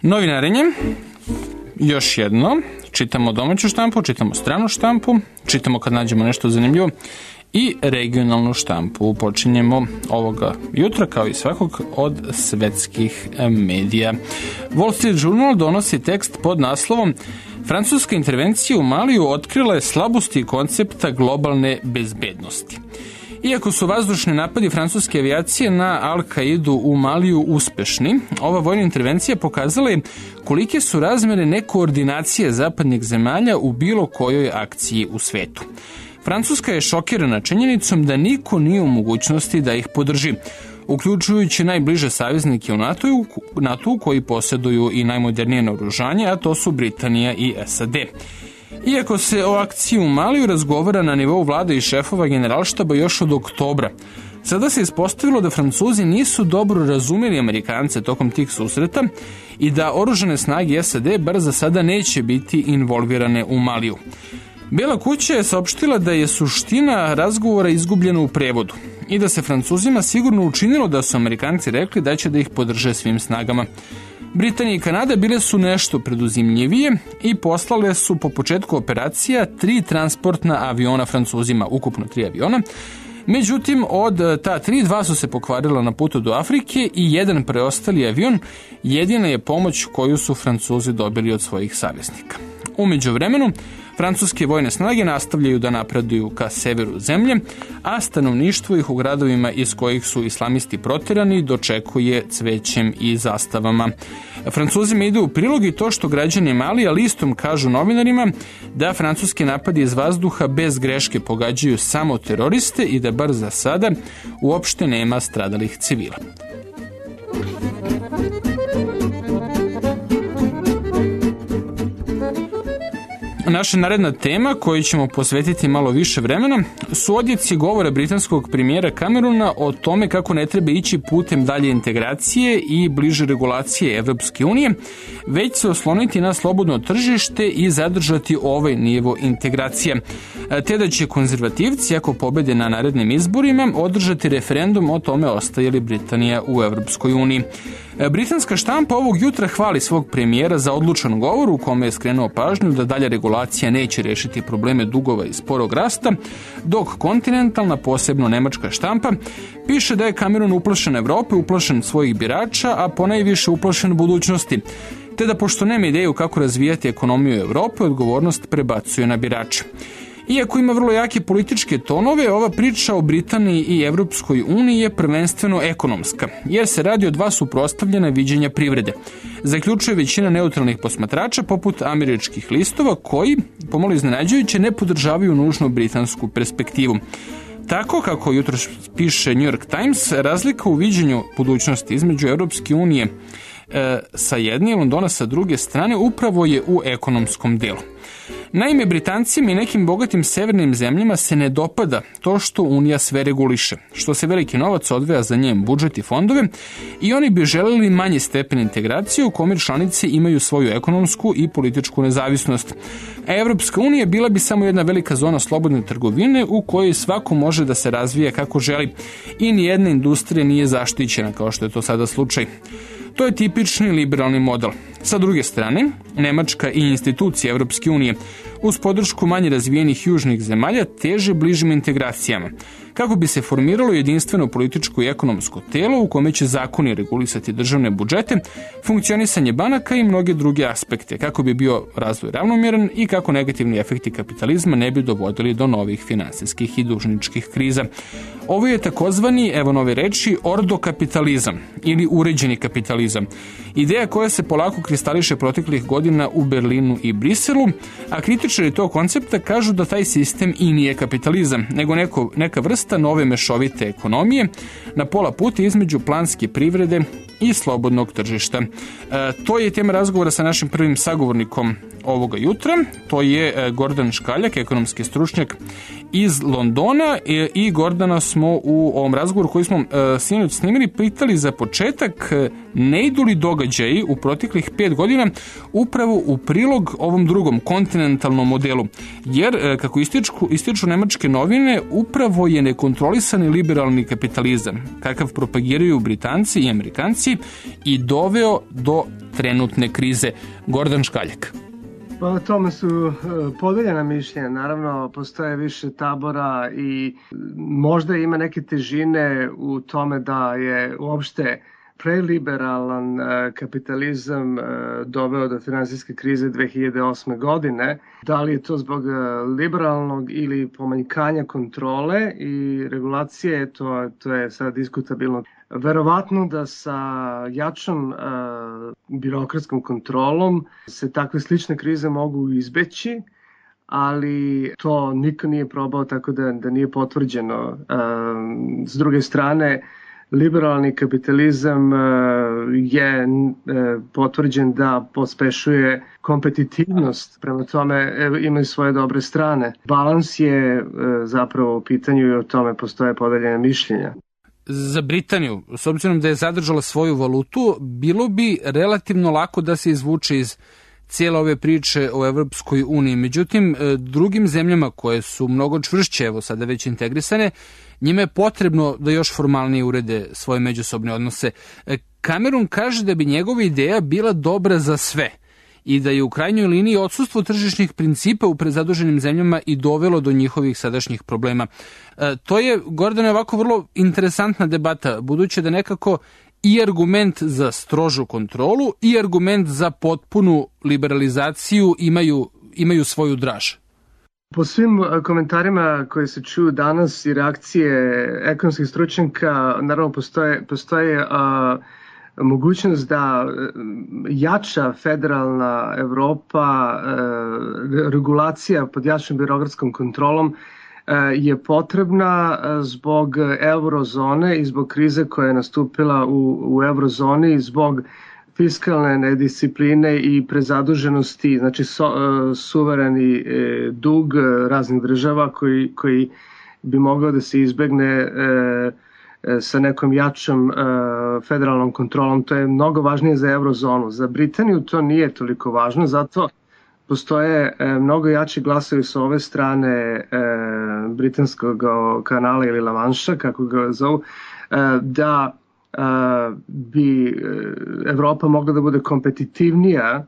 Novinarenje, još jedno, čitamo domaću štampu, čitamo stranu štampu, čitamo kad nađemo nešto zanimljivo i regionalnu štampu. Počinjemo ovoga jutra, kao i svakog, od svetskih medija. Wall Street Journal donosi tekst pod naslovom Francuska intervencija u Maliju otkrila je slabosti koncepta globalne bezbednosti. Iako su vazdušni napadi francuske avijacije na Al-Kaidu u Maliju uspešni, ova vojna intervencija pokazala je kolike su razmere nekoordinacije zapadnih zemalja u bilo kojoj akciji u svetu. Francuska je šokirana činjenicom da niko nije u mogućnosti da ih podrži, uključujući najbliže saveznike u NATO-u koji posjeduju i najmodernije naoružanje, a to su Britanija i SAD. Iako se o akciji u Maliju razgovara na nivou vlade i šefova generalštaba još od oktobra, sada se ispostavilo da Francuzi nisu dobro razumeli Amerikance tokom tih susreta i da oružane snage SAD bar za sada neće biti involvirane u Maliju. Bela kuća je saopštila da je suština razgovora izgubljena u prevodu i da se Francuzima sigurno učinilo da su Amerikanci rekli da će da ih podrže svim snagama. Britanija i Kanada bile su nešto preduzimljivije i poslale su po početku operacija 3 transportna aviona Francuzima, ukupno 3 aviona. Međutim, od ta 3, 2 su se pokvarila na putu do Afrike i jedan preostali avion jedina je pomoć koju su Francuzi dobili od svojih saveznika. U međuvremenu, francuske vojne snage nastavljaju da napreduju ka severu zemlje, a stanovništvo ih u gradovima iz kojih su islamisti proterani dočekuje cvećem i zastavama. Francuzima ide u prilog i to što građani Malija listom kažu novinarima da francuski napadi iz vazduha bez greške pogađaju samo teroriste i da bar za sada uopšte nema stradalih civila. Naša naredna tema, koju ćemo posvetiti malo više vremena, su odjeci govora britanskog premijera Camerona o tome kako ne treba ići putem dalje integracije i bliže regulacije Evropske unije, već se osloniti na slobodno tržište i zadržati ovaj nivo integracije. Te da će konzervativci, ako pobede na narednim izborima, održati referendum o tome ostaje li Britanija u Evropskoj uniji. Britanska štampa ovog jutra hvali svog premijera za odlučan govor u kome je skrenuo pažnju da dalja regulacija neće rešiti probleme dugova i sporog rasta, dok kontinentalna, posebno nemačka štampa, piše da je Cameron uplašen Evrope, uplašen svojih birača, a ponajviše uplašen budućnosti, te da pošto nema ideju kako razvijati ekonomiju Evrope, odgovornost prebacuje na birače. Iako ima vrlo jake političke tonove, ova priča o Britaniji i Evropskoj uniji je prvenstveno ekonomska, jer se radi o 2 suprotstavljena viđenja privrede. Zaključuje većina neutralnih posmatrača poput američkih listova koji, pomalo iznenađujuće, ne podržavaju nužno britansku perspektivu. Tako, kako jutro piše New York Times, razlika u viđenju budućnosti između Evropske unije sa jedne i Londona sa druge strane upravo je u ekonomskom delu. Naime, Britancima i nekim bogatim severnim zemljama se ne dopada to što Unija sve reguliše, što se veliki novac odvaja za njen budžet i fondove i oni bi želeli manji stepen integracije u kome članice imaju svoju ekonomsku i političku nezavisnost. A Evropska unija bila bi samo jedna velika zona slobodne trgovine u kojoj svako može da se razvija kako želi i nijedna industrija nije zaštićena kao što je to sada slučaj. To je tipični liberalni model. Sa druge strane, Nemačka i institucije Evropske unije uz podršku manje razvijenih južnih zemalja teže bližim integracijama, kako bi se formiralo jedinstveno političko i ekonomsko telo u kome će zakoni regulisati državne budžete, funkcionisanje banaka i mnoge druge aspekte, kako bi bio razvoj ravnomjeran i kako negativni efekti kapitalizma ne bi dovodili do novih finansijskih i dužničkih kriza. Ovo je takozvani, evo nove reči, ordokapitalizam ili uređeni kapitalizam. Ideja koja se polako kristališe proteklih godina u Berlinu i Briselu, a kritičari tog koncepta kažu da taj sistem i nije kapitalizam, nego neka vrsta nove mešovite ekonomije na pola puta između planske privrede i slobodnog tržišta. To je tema razgovora sa našim prvim sagovornikom ovoga jutra. To je Gordan Škaljak, ekonomski stručnjak iz Londona i Gordana smo u ovom razgovoru koji smo sinoć snimili pitali za početak ne idu li događaji u proteklih 5 godina upravo u prilog ovom drugom kontinentalnom modelu, jer kako ističu nemačke novine upravo je nekontrolisani liberalni kapitalizam kakav propagiraju Britanci i Amerikanci Britaniji i doveo do trenutne krize. Gordon Škaljak. Pa o tome su podeljena mišljenja. Naravno, postoje više tabora i možda ima neke težine u tome da je uopšte preliberalan kapitalizam doveo do finansijske krize 2008. godine. Da li je to zbog liberalnog ili pomanjkanja kontrole i regulacije, to je sad diskutabilno. Verovatno da sa jačom birokratskom kontrolom se takve slične krize mogu izbeći, ali to niko nije probao, tako da nije potvrđeno. S druge strane, liberalni kapitalizam je potvrđen da pospešuje kompetitivnost, prema tome imaju svoje dobre strane. Balans je zapravo u pitanju i o tome postoje podeljene mišljenja. Za Britaniju, s obzirom da je zadržala svoju valutu, bilo bi relativno lako da se izvuče iz cijele ove priče o Evropskoj uniji. Međutim, drugim zemljama koje su mnogo čvršće, evo sada već integrisane, njima je potrebno da još formalnije urede svoje međusobne odnose. Cameron kaže da bi njegova ideja bila dobra za sve i da je u krajnjoj liniji odsustvo tržišnih principa u prezaduženim zemljama i dovelo do njihovih sadašnjih problema. To je, Gordane, ovako vrlo interesantna debata, budući da nekako i argument za strožu kontrolu i argument za potpunu liberalizaciju imaju svoju draž. Po svim komentarima koje se čuju danas i reakcije ekonomskih stručnjaka, naravno postoje mogućnost da jača federalna Evropa, regulacija pod jačom birokratskom kontrolom je potrebna zbog eurozone i zbog krize koja je nastupila u eurozoni, zbog fiskalne nediscipline i prezaduženosti, znači suvereni dug raznih država koji bi mogao da se izbegne sa nekom jačom federalnom kontrolom. To je mnogo važnije za eurozonu. Za Britaniju to nije toliko važno, zato postoje mnogo jači glasovi sa ove strane britanskog kanala ili Lamanša, kako ga zovu, da bi Evropa mogla da bude kompetitivnija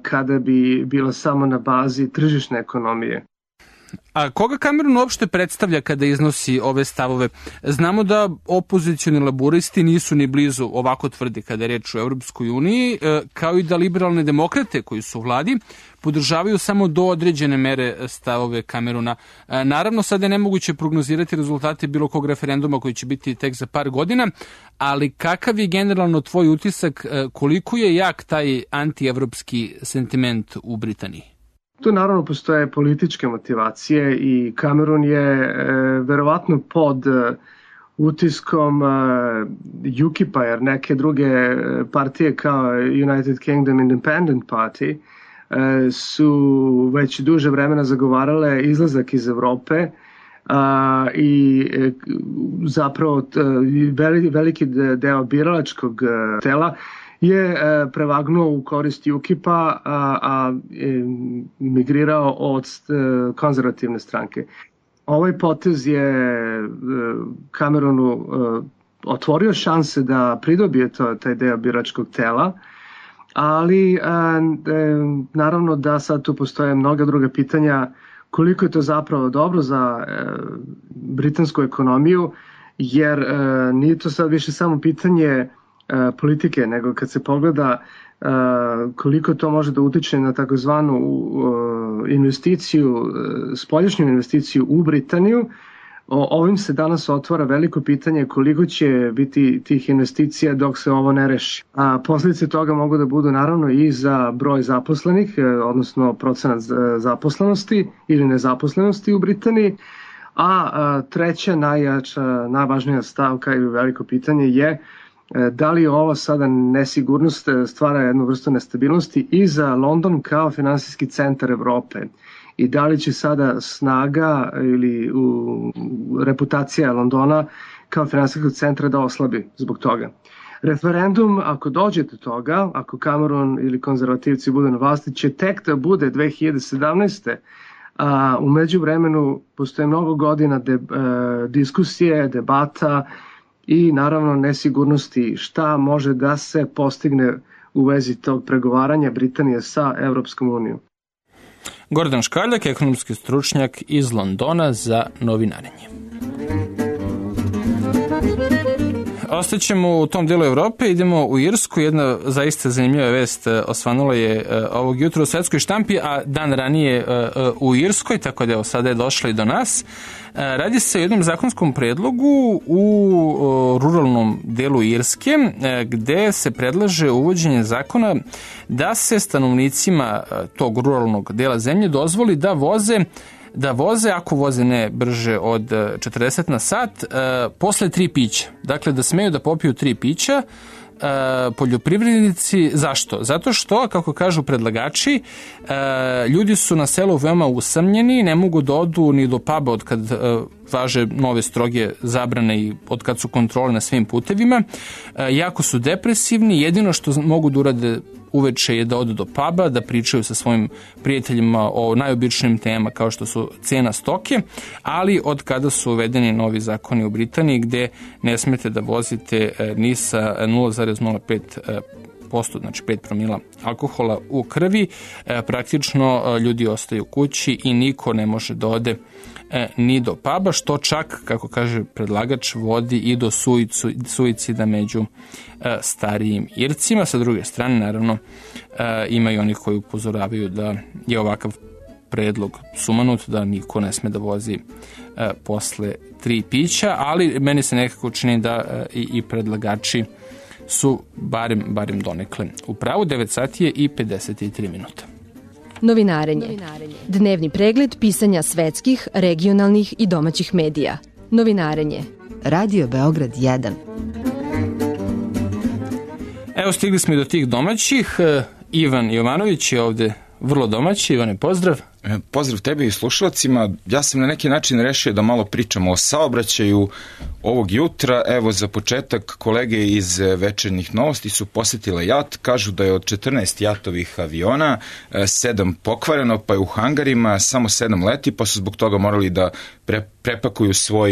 kada bi bila samo na bazi tržišne ekonomije. A koga Cameron uopšte predstavlja kada iznosi ove stavove? Znamo da opozicioni laburisti nisu ni blizu ovako tvrdi kada je reč o Evropskoj uniji, kao i da liberalne demokrate koji su u vladi podržavaju samo do određene mere stavove Camerona. Naravno, sada je nemoguće prognozirati rezultate bilo kog referenduma koji će biti tek za par godina, ali kakav je generalno tvoj utisak, koliko je jak taj antievropski sentiment u Britaniji? Tu naravno postoje političke motivacije i Cameron je verovatno pod utiskom UKIP-a, jer neke druge partije kao United Kingdom Independent Party su već duže vremena zagovarale izlazak iz Evrope i zapravo veliki deo biralačkog tela je prevagnuo u korist UKIP-a, a migrirao od konzervativne stranke. Ovaj potez je Cameronu otvorio šanse da pridobije taj deo biračkog tela, ali naravno da sad tu postoje mnoga druga pitanja koliko je to zapravo dobro za britansku ekonomiju, jer nije to sad više samo pitanje politike, nego kad se pogleda koliko to može da utiče na takozvanu investiciju, spoljašnju investiciju u Britaniju, ovim se danas otvara veliko pitanje koliko će biti tih investicija dok se ovo ne reši. A posljedice toga mogu da budu naravno i za broj zaposlenih, odnosno procenat zaposlenosti ili nezaposlenosti u Britaniji, a treća, najvažnija stavka ili veliko pitanje je da li ova sada nesigurnost stvara jednu vrstu nestabilnosti i za London kao finansijski centar Evrope i da li će sada snaga ili reputacija Londona kao finansijskog centra da oslabi zbog toga. Referendum, ako dođe do toga, ako Cameron ili konzervativci budu na vlasti, će tek da bude 2017. A u međuvremenu postoje mnogo godina diskusije, debata i naravno nesigurnosti šta može da se postigne u vezi tog pregovaranja Britanije sa Evropskom unijom. Gordon Škaljak, ekonomski stručnjak iz Londona za Novinarenje. Ostaćemo u tom delu Evrope, idemo u Irsku. Jedna zaista zanimljiva vest osvanula je ovog jutra u svetskoj štampi, a dan ranije u Irskoj, tako da evo sada je došla i do nas. Radi se o jednom zakonskom predlogu u ruralnom delu Irske, gde se predlaže uvođenje zakona da se stanovnicima tog ruralnog dela zemlje dozvoli da voze, ako voze ne brže od 40 na sat, posle 3 pića. Dakle, da smeju da popiju 3 pića poljoprivrednici. Zašto? Zato što, kako kažu predlagači, ljudi su na selu veoma usamljeni, ne mogu da odu ni do puba od kad važe nove stroge zabrane i od kad su kontrole na svim putevima. Jako su depresivni, jedino što mogu da urade uveče je da odu do puba, da pričaju sa svojim prijateljima o najobičnijim temama kao što su cena stoke, ali od kada su uvedeni novi zakoni u Britaniji gde ne smete da vozite ni sa 0,05%, znači 5 promila alkohola u krvi, praktično ljudi ostaju kući i niko ne može da ode ni do puba, što čak, kako kaže predlagač, vodi i do suicida među starijim Ircima. Sa druge strane, naravno, ima i oni koji upozoravaju da je ovakav predlog sumanut, da niko ne sme da vozi posle 3 pića, ali meni se nekako čini da i predlagači su barem donekle u pravu. 9 sati je i 53 minuta. Novinarenje. Dnevni pregled pisanja svetskih, regionalnih i domaćih medija. Novinarenje. Radio Beograd 1. Evo, stigli smo i do tih domaćih. Ivan Jovanović je ovde vrlo domaći. Ivane, pozdrav. Pozdrav tebi i slušalcima. Ja sam na neki način rešio da malo pričamo o saobraćaju ovog jutra. Evo, za početak, kolege iz Večernjih novosti su posetile JAT. Kažu da je od 14 JAT-ovih aviona 7 pokvareno, pa je u hangarima samo 7 leti, pa su zbog toga morali da prepakuju svoj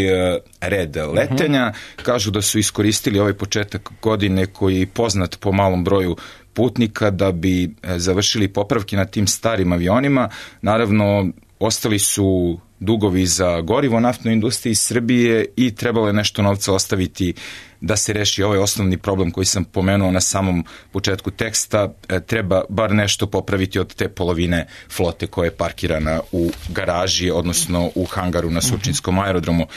red letenja. Kažu da su iskoristili ovaj početak godine koji je poznat po malom broju putnika da bi završili popravke na tim starim avionima. Naravno, ostali su dugovi za gorivo naftnoj industriji Srbije i trebalo je nešto novca ostaviti da se reši ovaj osnovni problem koji sam pomenuo na samom početku teksta. Treba bar nešto popraviti od te polovine flote koja je parkirana u garaži, odnosno u hangaru na Surčinskom aerodromu.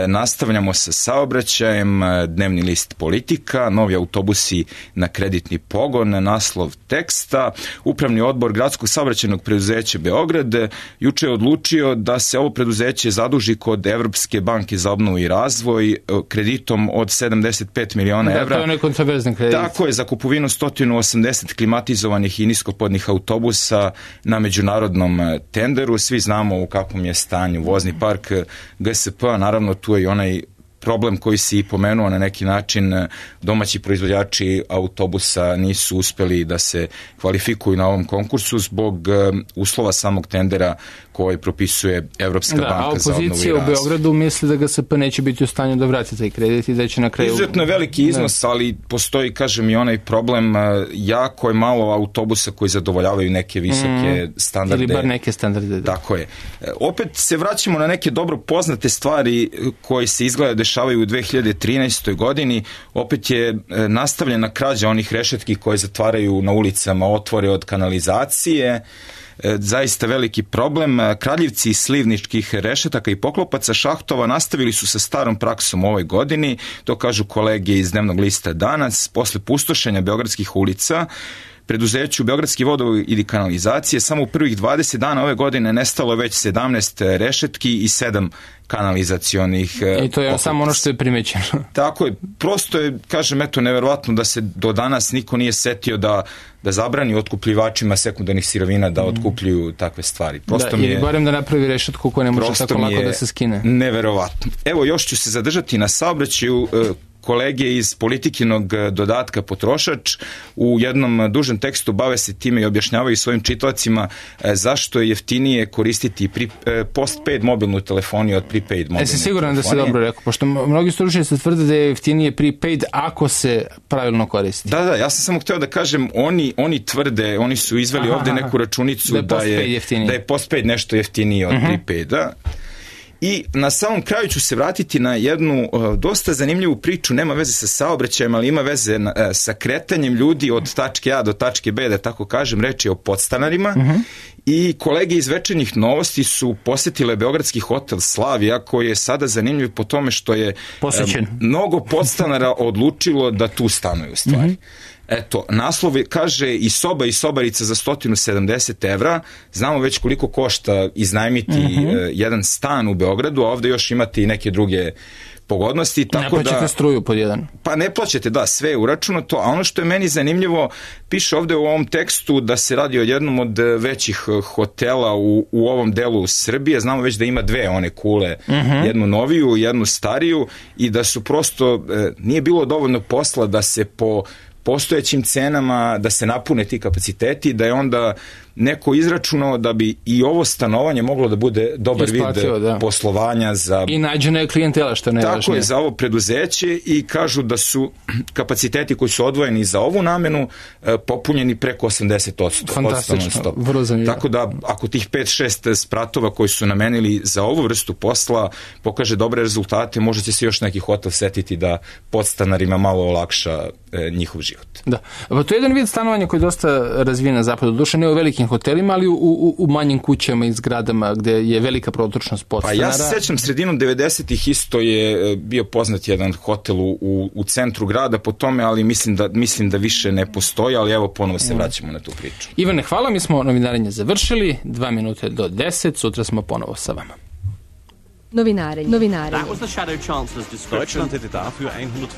Nastavljamo sa saobraćajem, dnevni list Politika, novi autobusi na kreditni pogon, naslov teksta. Upravni odbor Gradskog saobraćajnog preduzeća Beograd juče je odlučio da se ovo preduzeće zaduži kod Evropske banke za obnovu i razvoj kreditom od 75 miliona evra. Da, to je nekontroverzan kredit. Tako je, za kupovinu 180 klimatizovanih i niskopodnih autobusa na međunarodnom tenderu. Svi znamo u kakvom je stanju vozni park GSP, a naravno tu je i onaj problem koji si i pomenuo na neki način. Domaći proizvođači autobusa nisu uspeli da se kvalifikuju na ovom konkursu zbog uslova samog tendera koji propisuje Evropska banka za obnovu i razvoj. A opozicija u Beogradu misli da GSP neće biti u stanju da vrati taj kredit i da će na kraju... Izuzetno veliki iznos, ali postoji, kažem, i onaj problem, jako je malo autobusa koji zadovoljavaju neke visoke standarde. Ili bar neke standarde. Da. Tako je. Opet se vraćamo na neke dobro poznate stvari koje se izgleda dešavaju u 2013. godini. Opet je nastavljena krađa onih rešetki koje zatvaraju na ulicama otvore od kanalizacije. Zaista veliki problem. Kradljivci iz slivničkih rešetaka i poklopaca šahtova nastavili su sa starom praksom u ovoj godini, to kažu kolege iz dnevnog lista Danas. Posle pustošenja beogradskih ulica, preduzeću Beogradski vodovod i kanalizacije samo u prvih 20 dana ove godine nestalo već 17 rešetki i 7 kanalizacionih i to je samo ono što je primećeno. Tako je, prosto je, kažem, eto, neverovatno da se do danas niko nije setio da zabrani otkupljivačima sekundarnih sirovina da otkupljuju takve stvari. Prosto da, ili barem da napravi rešetku koja ne može tako lako da se skine. Neverovatno. Evo, još ću se zadržati na saobraćaju. kolege iz Politikinog dodatka Potrošač u jednom dužem tekstu bave se time i objašnjavaju svojim čitavacima zašto je jeftinije koristiti postpaid mobilnu telefoniju od prepaid mobilne telefonije. Siguran da se dobro rekao, pošto mnogi stručnjaci tvrde da je jeftinije prepaid ako se pravilno koristi. Da, ja sam samo hteo da kažem, oni tvrde, oni su izveli ovde neku računicu da je postpaid nešto jeftinije od prepaida. I na samom kraju ću se vratiti na jednu dosta zanimljivu priču, nema veze sa saobraćajem, ali ima veze sa kretanjem ljudi od tačke A do tačke B, da tako kažem, reč je o podstanarima. I kolege iz Večernjih novosti su posetile beogradski hotel Slavija, koji je sada zanimljiv po tome što je mnogo podstanara odlučilo da tu stanuju stvari. Eto, naslov kaže i soba i sobarica za 170 evra. Znamo već koliko košta iznajmiti jedan stan u Beogradu, a ovde još imate i neke druge pogodnosti. Ne plaćate struju pod jedan. Pa ne plaćate, da, sve je uračunato, a ono što je meni zanimljivo, piše ovde u ovom tekstu da se radi o jednom od većih hotela u ovom delu Srbije. Znamo već da ima dve one kule, jednu noviju, jednu stariju, i da su prosto, nije bilo dovoljno posla da se po postojećim cenama, da se napune ti kapaciteti, da je onda neko izračunao da bi i ovo stanovanje moglo da bude dobar vid poslovanja za... I nađena je klijentela, što ne važnije. Tako je, za ovo preduzeće, i kažu da su kapaciteti koji su odvojeni za ovu namenu popunjeni preko 80%. Fantastično, vrlo zanimljivo. Tako da, ako tih 5-6 spratova koji su namenili za ovu vrstu posla pokaže dobre rezultate, možda će se još neki hotel setiti da podstanarima malo olakša njihov život. Da. To je jedan vid stanovanja koji je dosta razvijen na zapadu. Doduše ne u velikim hotelima, ali u manjim kućama i zgradama gde je velika protočnost podstanara. Pa ja se sećam, sredinom 90-ih isto je bio poznat jedan hotel u centru grada po tome, ali mislim da više ne postoji, ali evo ponovo se vraćamo na tu priču. Ivane, hvala, mi smo novinarenje završili, 2 minute do 10, sutra smo ponovo sa vama. Novinarenje. That was the Shadow Chancellor's description. Deutschland hätte dafür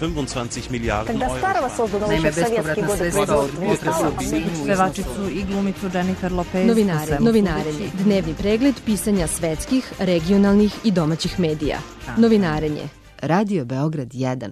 125 Miliarden Когда старого создано еще в советские годы Pevačicu i glumicu Jennifer Lopez. Novinarenje. Dnevni pregled pisanja svetskih, regionalnih i domaćih medija. Novinarenje. Radio Beograd 1.